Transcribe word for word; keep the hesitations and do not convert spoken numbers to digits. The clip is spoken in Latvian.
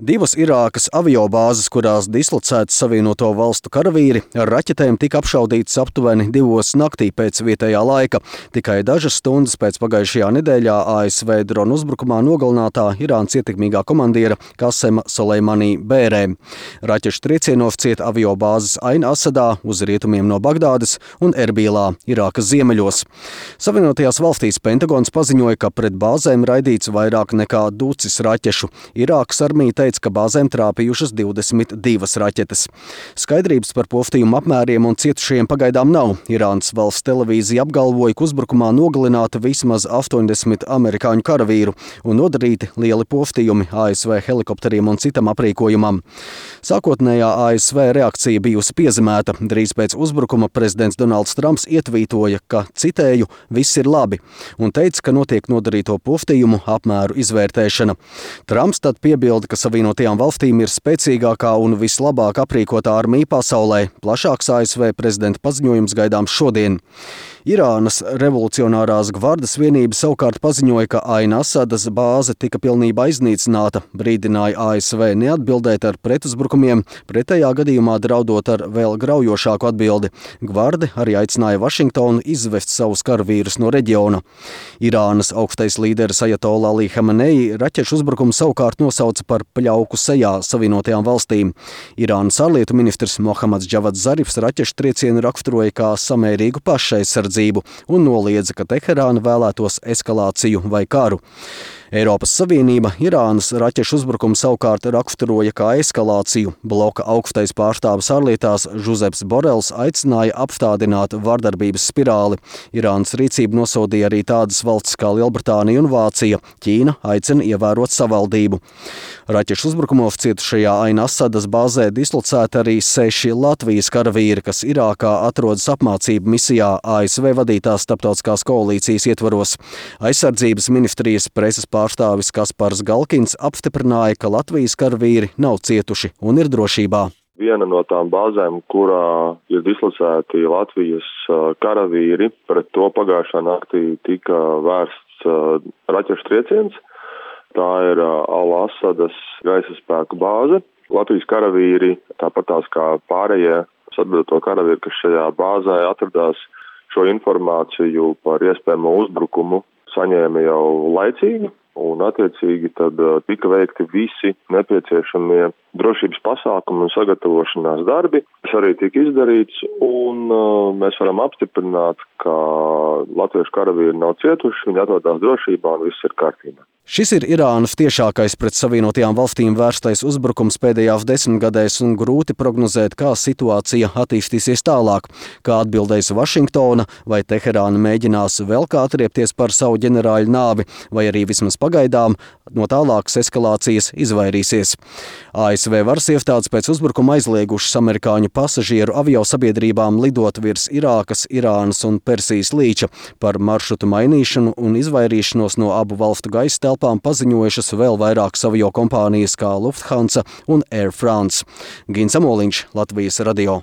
Divas Irākas aviobāzes, kurās dislocēti Savienoto Valstu karavīri, ar raķetēm tika apšaudītas aptuveni divos naktī pēc vietējā laika. Tikai dažas stundas pēc pagājušajā nedēļā A S V drona uzbrukumā nogalinātā Irānas ietekmīgā komandiera Kasema Soleimani Bērē. Raķešu triecienos cieta aviobāzes Ain Asadā uz rietumiem no Bagdādas un Erbīlā, Irākas ziemeļos. Savienotajās valstīs Pentagons paziņoja, ka pret bāzēm raidīts vairāk nekā ducis raķešu. Irākas armija teica, ka bāzēm trāpījušas divdesmit divas raķetes. Skaidrības par postījumu apmēriem un cietušajiem pagaidām nav. Irānas valsts televīzija apgalvoja, ka uzbrukumā nogalināta vismaz astoņdesmit amerikāņu karavīru un nodarīti lieli postījumi A S V helikopteriem un citam aprīkojumam. Sākotnējā A S V reakcija bijusi piezemēta. Drīz pēc uzbrukuma prezidents Donalds Trumps ietvītoja, ka, citēju, viss ir labi, un teica, ka notiek nodarīto postījumu apmēru izvērtēšana. Trumps tad piebilda, ka Savienotajām valstīm ir spēcīgākā un vislabāk aprīkotā armija pasaulē. Plašāks A S V prezidenta paziņojums gaidāms šodien. Irānas revolucionārās gvardas vienība savukārt paziņoja, ka Ain Asadas bāze tika pilnībā iznīcināta, brīdināja A S V neatbildēt ar pretuzbrukumiem, pretējā gadījumā draudot ar vēl graujošāku atbildi. Gvardi arī aicināja Vašingtonu izvest savus karavīrus no reģiona. Irānas augstais līderis Ajatolla Ali Hamenei raķešu uzbrukumu savukārt nosauca par pļauku sejā Savienotajām valstīm. Irānas ārlietu ministrs Mohammads Džavads Zarifs raķešu triecienu raksturoja kā samērīgu pašaizsardzību un noliedza, ka Teherāna vēlētos eskalāciju vai karu. Eiropas Savienība Irānas raķešu uzbrukumu savukārt raksturoja kā eskalāciju. Bloka augstais pārstāvis ārlietās Žuzeps Borels aicināja apstādināt vardarbības spirāli. Irānas rīcību nosodīja arī tādas valstis kā Lielbritānija un Vācija. Ķīna aicina ievērot savaldību. Raķešu uzbrukumos cietušajā Ain Asadas bāzē dislocēti arī seši Latvijas karavīri, kas Irākā atrodas apmācību misijā A S V vadītās starptautiskās koalīcijas ietvaros. Aizsardzības ministrijas preses pārstāvis Kaspars Galkins apstiprināja, ka Latvijas karavīri nav cietuši un ir drošībā. Viena no tām bāzēm, kurā ir dislocēti Latvijas karavīri, pret to pagājušā naktī tika vērsts raķešu trieciens. Tā ir Al-Asadas gaisa spēku bāze. Latvijas karavīri, tāpat tās kā pārējie atbildoto karavīri, kas šajā bāzē atradās, šo informāciju par iespējamo uzbrukumu saņēma jau laicīgi, un attiecīgi tad tika veikti visi nepieciešamie drošības pasākumi un sagatavošanās darbi, kas arī tika izdarīts, un uh, mēs varam apstiprināt, ka latviešu karavīri nav cietuši, viņi atrodas drošībā un viss ir kārtībā. Šis ir Irānas tiešākais pret Savienotajām valstīm vērstais uzbrukums pēdējās desmitgadēs un grūti prognozēt, kā situācija attīstīsies tālāk, kā atbildēs Vašingtona, vai Teherāna mēģinās vēl kā atriepties par savu ģenerāļu nāvi, vai arī vismaz pagaidām no tālākas eskalācijas izvairīsies. A S V varas iestādes pēc uzbrukuma aizliegušas amerikāņu pasažieru aviosabiedrībām lidot virs Irākas, Irānas un Persijas līča. Par maršrutu mainīšanu un izvairīšanos no abu valstu gaisa telpām paziņojušas vēl vairākas aviokompānijas kā Lufthansa un Air France. Gins Amoliņš, Latvijas radio.